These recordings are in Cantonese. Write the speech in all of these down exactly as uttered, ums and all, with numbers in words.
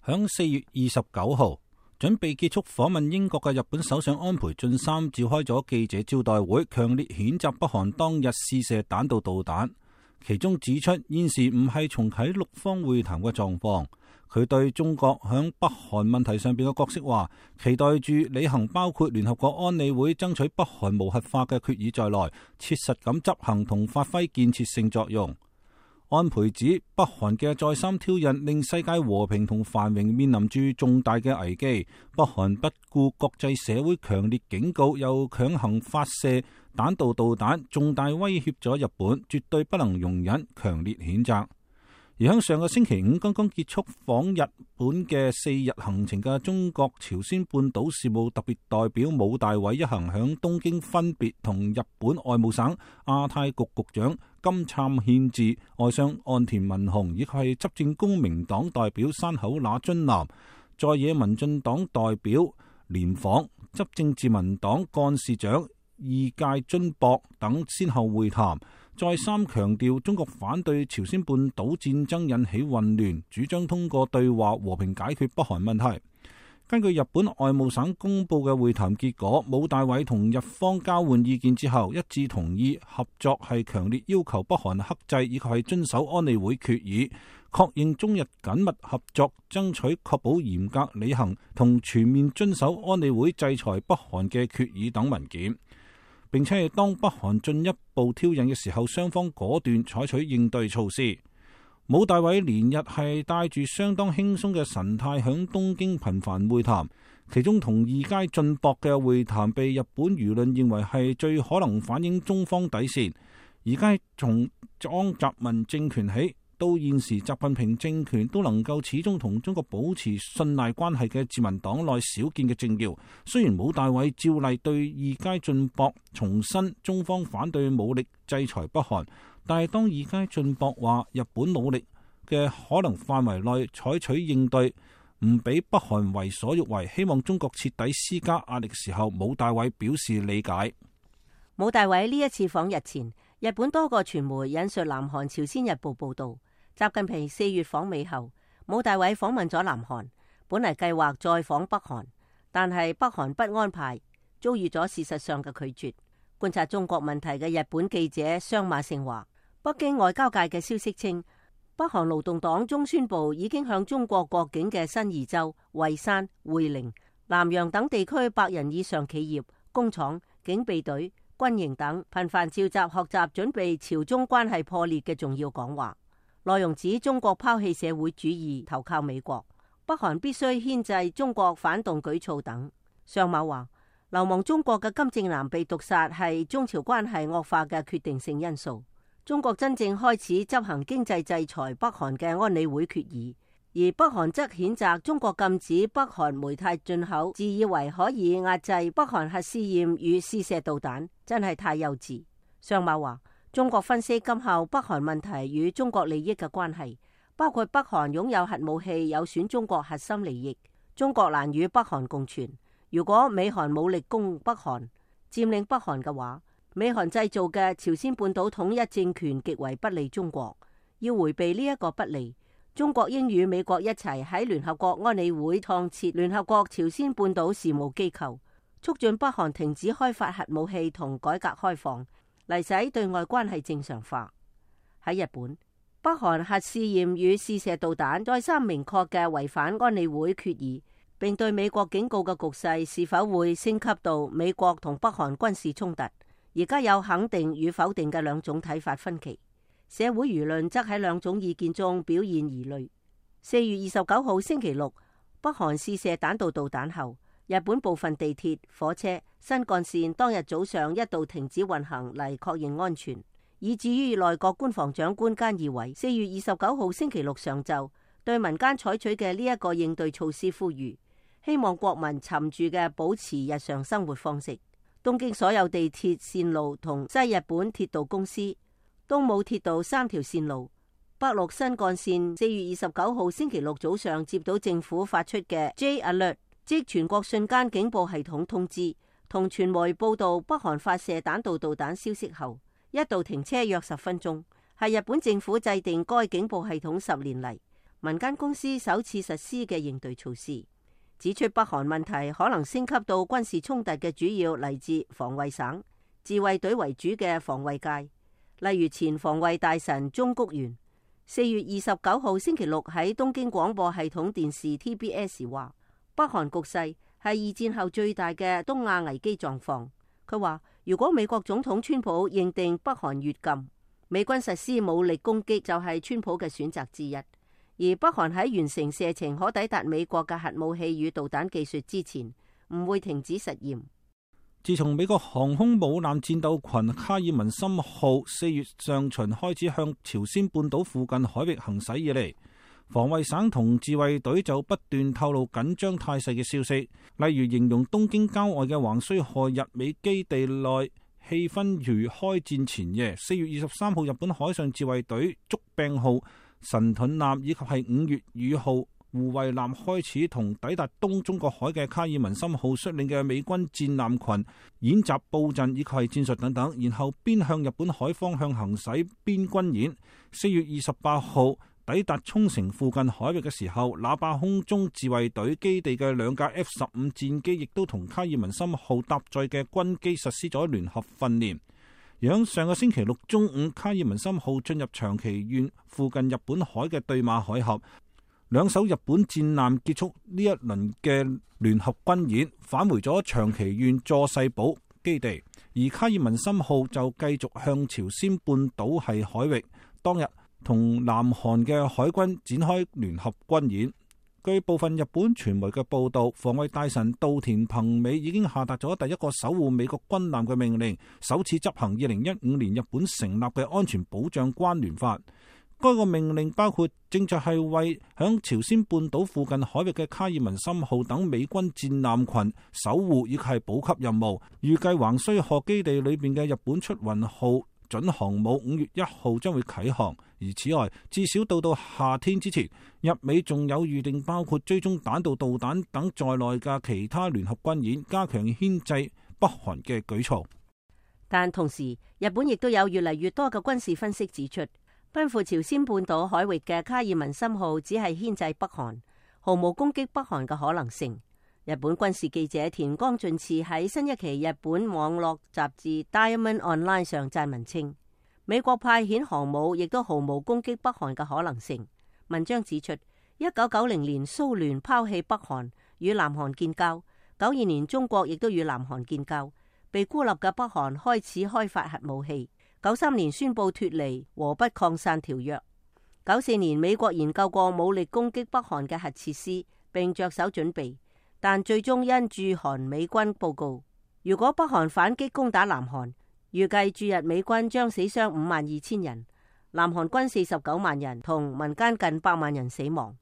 響四月二十九號，準備結束訪問英國嘅日本首相安倍晉三召開咗記者招待會，強烈譴責北韓當日試射彈道導彈，其中指出現時唔係重啟六方會談嘅狀況。佢對中國響北韓問題上邊嘅角色話，期待住履行包括聯合國安理會爭取北韓無核化嘅決議在內，切實咁執行同發揮建設性作用。安倍指北韓嘅再三挑釁令世界和平同繁榮面臨住重大嘅危機，北韓不顧國際社會強烈警告，又強行發射彈道導彈，重大威脅咗日本，絕對不能容忍，強烈譴責。而喺上個星期五剛剛結束訪日本嘅四日行程嘅中國朝鮮半島事務特別代表武大偉一行響東京分別同日本外務省亞太局局長金杉憲治、外相岸田文雄以及係執政公明黨代表山口那津男、在野民進黨代表連訪、執政自民黨幹事長二階津博等先後會談，再三強調中國反對朝鮮半島戰爭引起混亂，主張通過對話和平解決北韓問題。根據日本外務省公布嘅會談結果，武大偉同日方交換意見之後，一致同意合作係強烈要求北韓克制以及係遵守安理會決議，確認中日緊密合作，爭取確保嚴格履行同全面遵守安理會制裁北韓嘅決議等文件。並且係當北韓進一步挑釁嘅時候，雙方果斷採取應對措施。武大偉連日係帶住相當輕鬆嘅神態響東京頻繁會談，其中同二階俊博嘅會談被日本輿論認為係最可能反映中方底線。而家從江澤民政權起到現時習近平政權都能夠始終同中國保持信賴關係嘅自民黨內少見嘅政要，雖然武大偉照例對二階俊博重申中方反對武力制裁北韓，但係當二階俊博話日本努力嘅可能範圍內採取應對，唔俾北韓為所欲為，希望中國徹底施加壓力時候，武大偉表示理解。武大偉呢一次訪日前，日本多個傳媒引述南韓朝鮮日報報道，習近平四月訪美後，武大偉訪問咗南韓，本嚟計劃再訪北韓，但係北韓不安排，遭遇咗事實上嘅拒絕。觀察中國問題嘅日本記者相馬勝話，北京外交界嘅消息稱，北韓勞動黨中宣部已經向中國國境嘅新義州、蔚山、會寧、南陽等地區百人以上企業、工廠、警備隊、軍營等頻繁召集學習準備朝中關係破裂嘅重要講話，內容指中國拋棄社會主義投靠美國，北韓必須牽制中國反動舉措等。相馬話，流亡中國嘅金正男被毒殺係中朝關係惡化嘅決定性因素。中國真正開始執行經濟制裁北韓嘅安理會決議，而北韓則譴責中國禁止北韓煤炭進口，自以為可以壓制北韓核試驗與試射導彈，真係太幼稚。相馬話，中國分析今後北韓問題與中國利益嘅關係，包括北韓擁有核武器有損中國核心利益，中國難與北韓共存。如果美韓武力攻北韓，佔領北韓嘅話，美韓製造嘅朝鮮半島統一政權極為不利中國。要回避呢一個不利，中國應與美國一齊喺聯合國安理會創設聯合國朝鮮半島事務機構，促進北韓停止開發核武器同改革開放，嚟使對外關係正常化。喺日本，北韓核試驗與試射導彈再三明確嘅違反安理會決議，並對美國警告嘅局勢是否會升級到美國同北韓軍事衝突，而家有肯定與否定嘅兩種睇法分歧。社會輿論則喺兩種意見中表現疑慮。四月二十九號星期六，北韓試射彈道導彈後，日本部分地鐵、火車、新幹線當日早上一度停止運行嚟確認安全，以至於內閣官房長官菅義偉四月二十九號星期六上晝對民間採取嘅呢一個應對措施呼籲，希望國民沉住嘅保持日常生活方式。東京所有地鐵線路同西日本鐵道公司、東武鐵道三條線路、北陸新幹線四月二十九號星期六早上接到政府發出嘅 J Alert， 即全國瞬間警報系統通知，同傳媒報道北韓發射彈道導彈消息後，一度停車約十分鐘，係日本政府制定該警報系統十年嚟民間公司首次實施嘅應對措施，指出北韓問題可能升級到軍事衝突嘅主要嚟自防衛省、自衛隊為主嘅防衛界，例如前防衛大臣中谷元四月二十九號星期六喺東京廣播系統電視 T B S 話，北韓局勢係二戰後最大嘅東亞危機狀況。佢話如果美國總統川普認定北韓越禁，美軍實施武力攻擊就係川普嘅選擇之一。而北韓喺完成射程可抵達美國嘅核武器與導彈技術之前，唔會停止實驗。自從美國航空母艦戰鬥群卡爾文森號四月上旬開始向朝鮮半島附近海域行駛以嚟，防衛省同自衛隊就不斷透露緊張態勢嘅消息，例如形容東京郊外嘅橫須賀日美基地內氣氛如開戰前夜。四月二十三號，日本海上自衛隊竹柄號、神盾艦以及係五月雨號護衛艦開始同抵達東中國海嘅卡爾文森號率領嘅美軍戰艦群演習布陣以及係戰術等等，然後邊向日本海方向行駛邊軍演。四月二十八號抵達沖繩附近海域嘅時候，那霸空中自衛隊基地嘅兩架 F 十五戰機亦都同卡爾文森號搭載嘅軍機實施咗聯合訓練。響上個星期六中午，卡爾文森號進入長崎縣附近日本海嘅對馬海峽，兩艘日本戰艦結束呢一輪嘅聯合軍演，返回咗長崎縣佐世保基地，而卡爾文森號就繼續向朝鮮半島系海域當日同南韓嘅海軍展開聯合軍演。據部分日本傳媒嘅報道，防衛大臣稻田朋美已經下達咗第一個守護美國軍艦嘅命令，首次執行二零一五年日本成立嘅安全保障關聯法。該個命令包括正在係為響朝鮮半島附近海域嘅卡爾文森號等美軍戰艦群守護以及係補給任務。預計橫須賀基地裏邊嘅日本出雲號準航母五月一號將會啟航。而此外，至少到到夏天之前，日美仲有預定包括追蹤彈道導彈等在內嘅其他聯合軍演，加強牽制北韓嘅舉措。但同時，日本亦都有越嚟越多嘅軍事分析指出，奔赴朝鮮半島海域嘅卡爾文森號只係牽制北韓，毫無攻擊北韓嘅可能性。日本軍事記者田岡俊次喺新一期日本網絡雜誌 Diamond Online 上撰文稱，美國派遣航母亦都毫無攻擊北韓嘅可能性。文章指出，一九九零年蘇聯拋棄北韓與南韓建交，九二年中國亦都與南韓建交，被孤立嘅北韓開始開發核武器。九三年宣布脫離和不擴散條約。九四年美國研究過武力攻擊北韓嘅核設施，並着手準備，但最終因駐韓美軍報告，如果北韓反擊攻打南韓，預計駐日美軍將死傷五萬二千人，南韓軍四十九萬人，同民間近百萬人死亡。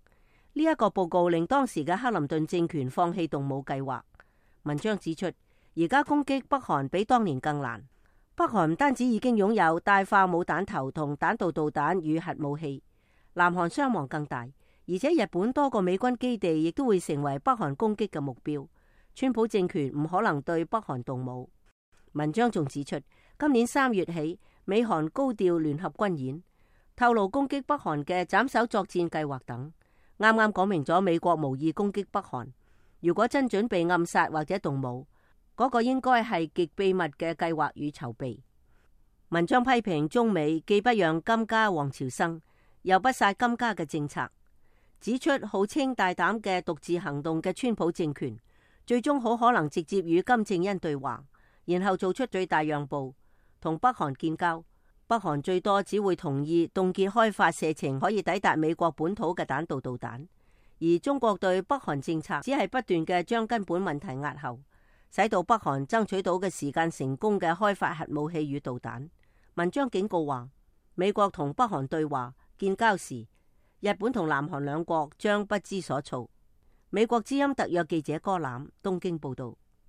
呢、這、一個報告令當時嘅克林頓政權放棄動武計劃。文章指出，而家攻擊北韓比當年更難。北韓唔單止已經擁有大化武彈頭同彈道導彈與核武器，南韓傷亡更大，而且日本多個美軍基地亦都會成為北韓攻擊嘅目標。川普政權唔可能對北韓動武。文章仲指出，今年三月起，美韓高調聯合軍演，透露攻擊北韓嘅斬首作戰計劃等，啱啱講明咗美國無意攻擊北韓。如果真準備暗殺或者動武，嗰個應該係極秘密嘅計劃與籌備。文章批評中美既不讓金家王朝生，又不殺金家嘅政策，指出號稱大膽嘅獨自行動嘅川普政權，最終好可能直接與金正恩對話，然後做出最大讓步，同北韓建交。北韓最多只會同意凍結開發射程可以抵達美國本土嘅彈道導彈，而中國對北韓政策只係不斷嘅將根本問題壓後，使到北韓爭取到嘅時間成功嘅開發核武器與導彈。文章警告話，美國同北韓對話建交時，日本同南韓兩國將不知所措。美國之音特約記者柯攬東京報道。